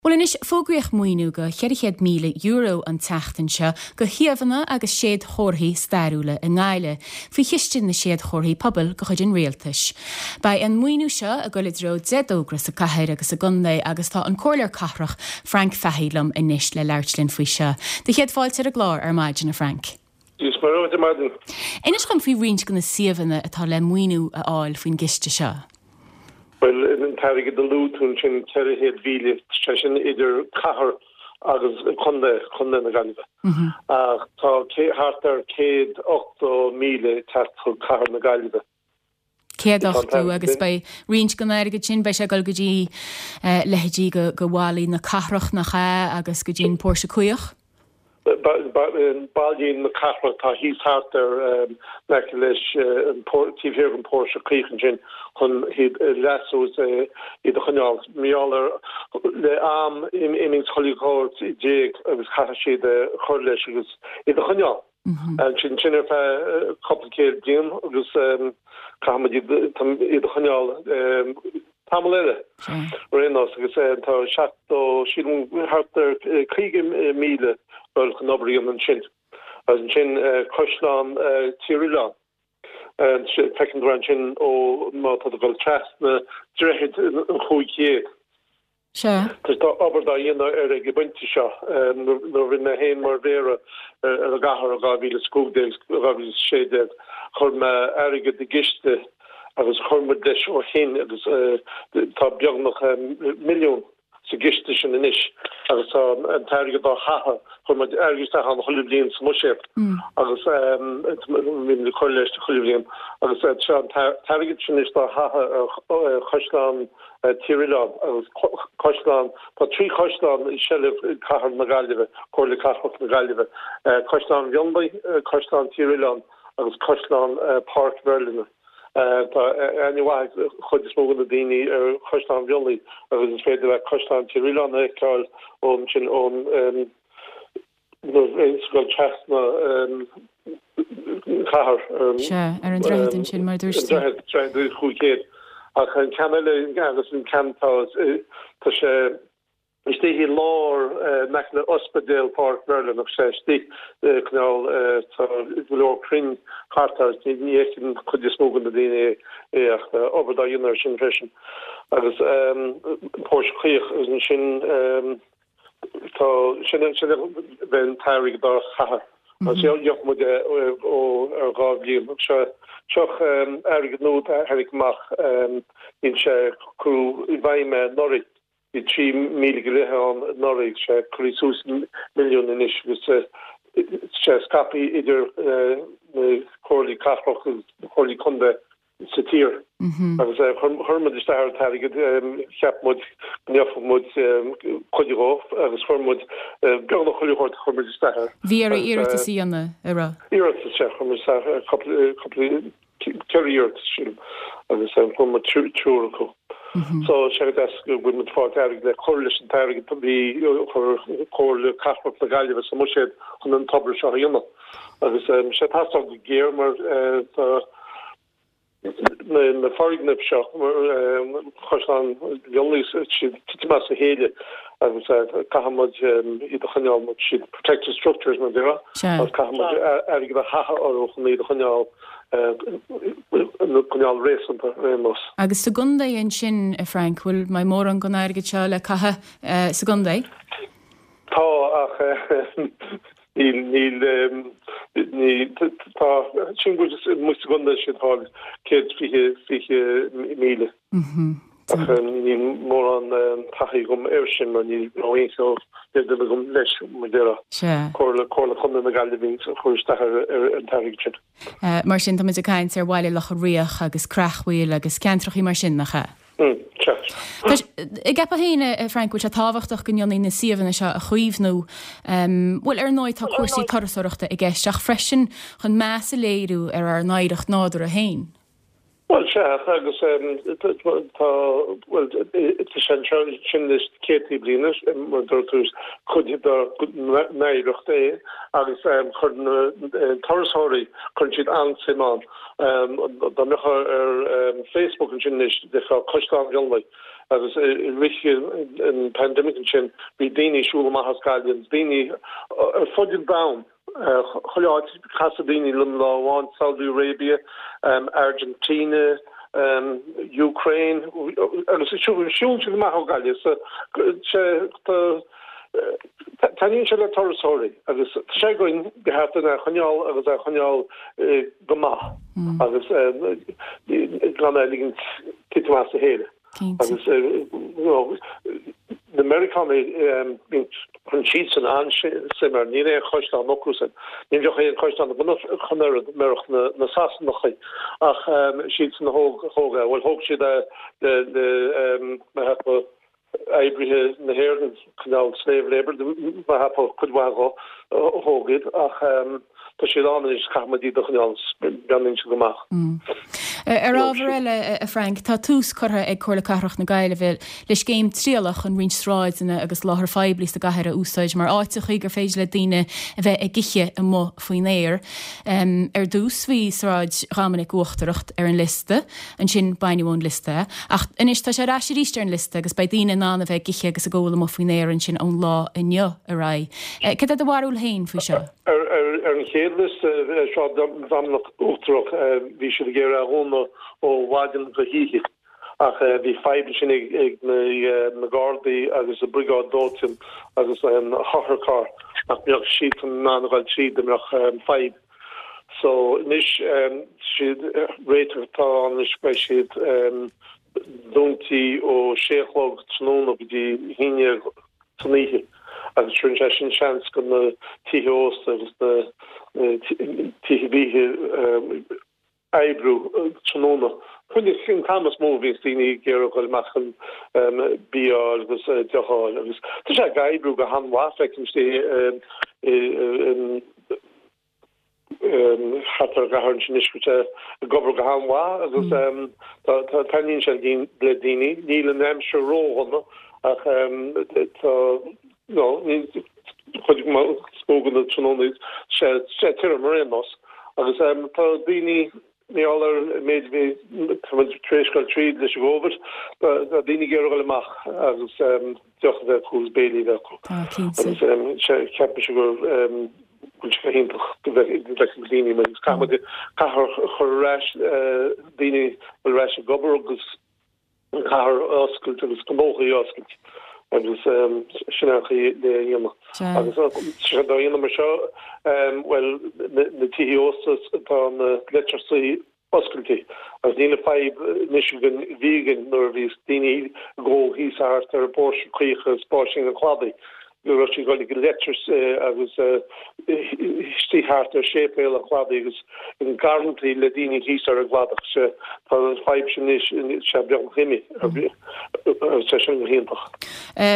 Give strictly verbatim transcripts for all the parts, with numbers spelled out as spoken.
Bhuel anois fógraíodh maoiniú de cheithre chéad míle euro an tseachtain seo do shuíomhanna agus séadchomharthaí stairiúla i nGaillimh, faoi chiste na Séadchomharthaí Pobail de chuid an Rialtais. Beidh an maoiniú seo ag dul i dtreo deich dtogra sa cathair agus sa gcontae agus tá an Comhairleoir Cathrach Frank Fahey liom anois le labhairt linn faoi seo. Do chéad fáilte ar an gclár ar maidin a Frank. Is mar ar maidin. Inis dom faoi roinnt de na suíomhanna atá le maoiniú a fháil faoin gciste seo. Well an t-airgead a luaigh tú sin ceithre chéad mhíle sé sin idir cathair agus contae contae na Gaillimhe. Ach tá thart ar céad ochtó míle teacht chuig cathair na Gaillimhe. Céad ochtó agus beidh roinnt den airgead sin beidh sé ag dul go dtí leithéidí go go bhallaí na cathrach nach ea agus go dtí an Póirse Caoch. Ballaí na cathrach tá thíos thart ar in aice leis an taobh thiar den Póirse Caoch ansin chun iad a leasú is iad a choinneáil. Mar gheall ar le am imíonn chuile shórt i d'éag agus caithfidh siad a chur leis agus iad a choinneáil. Ansin sin ar feadh cúpla céad bliain agus caithfimid iad a choinneáil tamall eile. Ar aon nós agus tá seachtó sílim thart ar caoga míle dul chun obair a dhéanamh ansin. Agus ansin Caisleán Tír Oileáin. Feiceann tú ansin ó má tá tú ag dul trasna droichead an chúig chéad. Sea. Tá obair dá dhéanamh ar ag an bpointe seo. Nuair a bhí mé féin mar mhéara ar an gcathair i dhá mhíle is cúig déag, dhá mhíle is sé déag, chuir mé airgead i gciste agus chuir muid leis ó shin agus tá beagnach milliún sa gciste sin anois agus tá an t-airgead á chaitheamh, chuir muid airgead isteach ann chuile bhliain sa mbuiséad agus bhí muid ag cur leis chuile bhliain agus tá an t-airgead sin anois á chaitheamh ar Chaisleán Tír Oileáin agus Caisleán, tá trí chaisleán i seilbh Cathair na Gaillimhe, Comhairle Cathrach na Gaillimhe, Caisleán Mhionlaigh, Caisleán Tír Oileáin agus Caisleán Páirc Mheirlinne. Tá aithne mhaith ag chuid is mó de na daoine ar Chaisleán Mhionlaigh agus is féidir leat Caisleán Tír Oileáin a fheiceáil ón sin ón nuair ag dul trasna an chathair Sea, ar an droichead ansin mar a dúirt tú. An droichead, droichead chúig chéad. Ach an ceann eile agus an ceann tá tá sé istigh i lár in aice le Ospidéal Pháirc Mheirlinne ach sé istigh cineál tá go leor crainn thart air ní fheiceann an chuid is mó de na daoine é ach tá obair dá dhéanamh air sin freisin. Agus Póirse Caoch agus ansin tá sin sin bheith an t-airgead dá chaitheamh. Agus gheobhaidh muid é ó ar dhá bhliain. Seo seo airgead nua a tháinig amach níl sé curtha i bhfeidhm anuraidh. Bhí trí míle go leith ann anuraidh, sé curtha suas milliún anois agus sé scaipthe idir na comhairlí cathrach agus na comhairlí contae sa tír. Agus chuir muid isteach an t-airgead, cheap muid go ngeobhadh muid cuid dhó agus chuir muid beagnach chuile shórt chuir muid isteach air. Bhí oraibh iarratas a dhéanamh, an raibh? Iarratas, sea, chuir muid isteach cúpla ceithre iarratas sílim agus fuair muid triúr acu. So sé go deas go bhfuil muid ag fáil airgead le cur leis an t-airgead a bhí chuir Comhairle Cathrach na Gaillimhe sa mbuiséad chun an togra seo a dhéanamh. Agus sé ag teastáil go géar mar tá na foirgnimh seo Caisleán Mhionlaigh siad titim as a chéile agus caithfidh muid iad a choinneáil muid siad protected structures mar a déarfá agus caithfidh muid airgead a chaitheamh orthu chun iad a choinneáil coinneáil réasúnta ar aon nós. Agus sa gcontae ansin, a Frank, bhfuil mbeidh mórán den airgead seo le caitheamh sa gcontae? Tá ach níl níl ní tá sin go bhfuil muid sa gcontae sin tá céad fiche fiche míle. Ach níl mórán taithí agam air sin mar ní raibh aon níl duine agam leis mar a déarfá. Sea. Comhairle Comhairle Chontae na Gaillimhe a chuir isteach ar ar an t-airgead sin. Mar sin táimid ag caint ar Bhaile Locha Riach agus Creachmhaoil agus ceantrachaí mar sin, nach ea? Mm, sea. Tá an gceapfá féin, a Frank, bhfuil sé tábhachtach go ndéanfaí na suíomhanna seo a chaomhnú. Bhuel, ar ndóigh tá cúrsaí turasóireachta i gceist ach freisin chun meas a léiriú ar ár n-oidhreacht nádúrtha féin. Bhuel, sea, agus tá, bhuel, tá sé anseo sin leis na céadtaí bliain, mar a dúirt tú, is cuid dár n-oidhreacht é agus chuir na turasóirí, cuireann siad an-suim ann. Dá mbeifeá ar Facebook ansin anois, d'fheicfeá Caisleán Mhionlaigh, agus i rith an pandemic ansin bhí daoine ag siúl amach as Gaillimh, daoine ar fud an domhain, chuile áit, casadh daoine liom lá amháin, Saudi Arabia, Argentina, Ukraine, agus siúlann siad amach ó Ghaillimh so tá taitníonn sé le turasóirí agus tá sé againn go ceart é a choinneáil agus é a choinneáil go maith agus gan é a ligint titim as a chéile. Agus na Meiriceánaigh cuireann siadsan an-suim air, níl aon chaisleán acusan, ní bheadh aon chaisleán chun oiread murach na Sasanachaí ach siadsan a thóg thóg é, bhuel thóg siad é le le mar shampla oibrithe na hÉireann, cineál slave labour, mar shampla cuid mhaith dhó a thóg iad ach tá siad ann anois caithfidh muid iad a choinneáil, breathnaíonn siad go maith. Ar ábhar eile, a Frank, tá tús curtha ag Comhairle Cathrach na Gaillimhe le scéim trialach chun roinnt sráideanna agus láthair phoiblí sa gcathair a úsáid mar áiteachaí gur féidir le daoine a bheith ag ithe amuigh faoin aer. Ar dtús bhí Sráid Dhoiminic Uachtarach ar an liosta, ansin baineadh ón liosta é, ach anois tá sé ar ais arís ar an liosta agus beidh daoine in ann a bheith ag ithe agus ag ól amuigh faoin aer ansin ón lá inniu ar aghaidh. Cad é do bharúil féin faoi seo? Ar an chéad liosta, Sráid Dhoiminic Uachtarach, bhí siad ag iarraidh a dhúnadh ó mhaidin go hoíche ach bhí fadhb ansin ag na Gardaí agus an Briogáid Dóiteáin agus an t-otharcharr nach mbeadh siadsan in ann a ghoil tríd dá mbeadh fadhb. So anois siad réiteach atá ann anois beidh siad dúntaí ó sé a chlog tráthnóna go dtí a haon déag san oíche agus tugann sé sin seans go na tithe ósta agus na tithe bídh oibriú tráthnóna. Sin an t-am is mó a bhíonns daoine ag iarraidh dul amach chun bia a fháil agus deoch a fháil agus tá sé ag oibriú go han-mhaith feicim i thart ar an gcathair ansin anois go bhfuil sé ag obair go han-mhaith agus taitníonn sé le daoine. Níl an aimsir ródhona ach tá no chuid is mó den tráthnóna sé tirim ar aon nós agus tá daoine mar gheall ar an méid a bhí tá muid tar éis dul tríd leis an gCovid tá daoine ag iarraidh dul amach agus deoch a bheith acu agus béilí a bheith acu. Tá, cinnte. Agus ceapaimse go bhfuil sé go hiontach go bhfeicfidh daoine mar caithfidh muid cathair a chur ar ais, daoine a bhfuil ar ais ag obair agus an cathair a oscailt agus gnóthaí a oscailt agus sin an chaoi le dhéanamh. Agus sé dá dhéanamh mar seo, bhuel, na tithe ósta tá na leitreasaí oscailte agus níl an fadhb anois againn a bhí againn nuair a bhí daoine ag ól thíos thart ar Póirse Caoch agus Báisín an Chladaigh. Go raibh siad ag dul ag an leitreas agus istigh thart ar Séipéal an Chladaigh agus i ngarrantaí le daoine thíos ar an gcladach. Sea, tá an fadhb sin anois, sea, beagnach imithe. Tá sin go hiontach.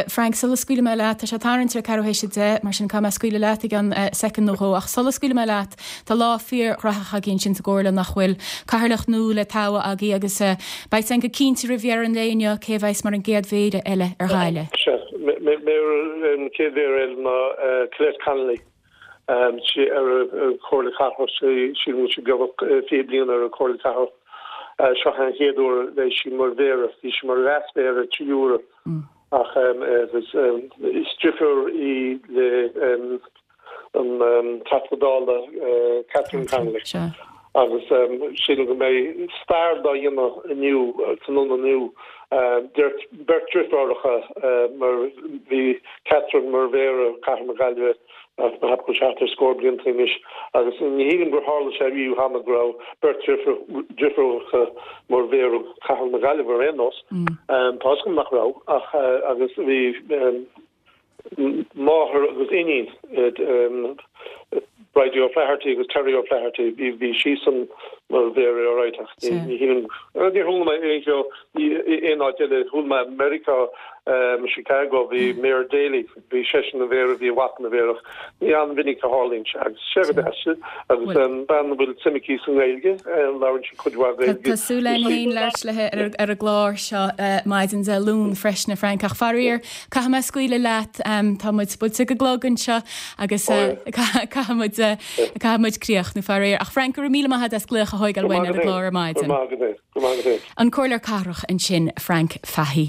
Frank, sula scaoilfidh mé leat, tá sé tarraingt ar ceathrú théis a deich, mar sin caithfidh mé scaoileadh leat i gceann soicind nó dhó, ach sula scaoilfidh mé leat, tá lá fíorghnóthach agaibh ansin sa gComhairle, nach bhfuil? Cathaoirleach nua le toghadh agaibh agus beidh a fhios againn go cinnte roimh dheireadh an lae inniu cé a bheas mar an gcéad mhéara eile ar Ghaillimh. Sea, méara an chéad mhéara eile ná Colette Connolly. Sí ar an Chomhairle Cathrach, sílim go bhfuil sí beagnach fiche bliain ar an Chomhairle Cathrach. Seo an chéad uair a bheidh sí mar mhéara. Bhí sí mar leas-mhéara trí huaire ach is deirfiúr í le an Teachta Dála Catherine Connolly agus sílim go mbeidh stair dá dhéanamh inniu, tráthnóna inniu, beirt deirfiúracha mar bhí Catherine mar Mhéara Chathair na Gaillimhe mar go bhfuil thart ar scór blianta anois agus ní shílim gur tharla sé riamh cheana go raibh beirt deirfiúracha mar Mhéara Chathair na Gaillimhe ar aon nós. Tá a fhios agam nach raibh ach agus bhí máthair agus iníon Bridie O'Flaherty agus Terry O'Flaherty, bhí siadsan mar mhéara alright ach ní shílim, níor chuala mé aon cheo aon áit eile, chuala mé i Meiriceá, Chicago, bhí Mayor Daley, bhí seisean ina mhéara, bhí a mhac ina mhéara ach ní an-mhinic a tharlaíonn sé agus sé go deas agus bean a bhfuil suim aici sa nGaeilge, labhrann sí cuid mhaith Gaeilge. Tá súil againn féin labhairt léi ar an gclár seo maidin Dé Luain freisin, a Frank, ach faraor, caithfidh mé scaoileadh leat, tá muid buailte go clog anseo agus caithfidh muid caithfidh muid críochnú faraor. Ach Frank, go raibh míle maith agat as glaoch a thógáil uainn ar an gclár ar maidin. Go maith agat é. Go maith agat é. An Comhairleoir Cathrach ansin, Frank Fahey.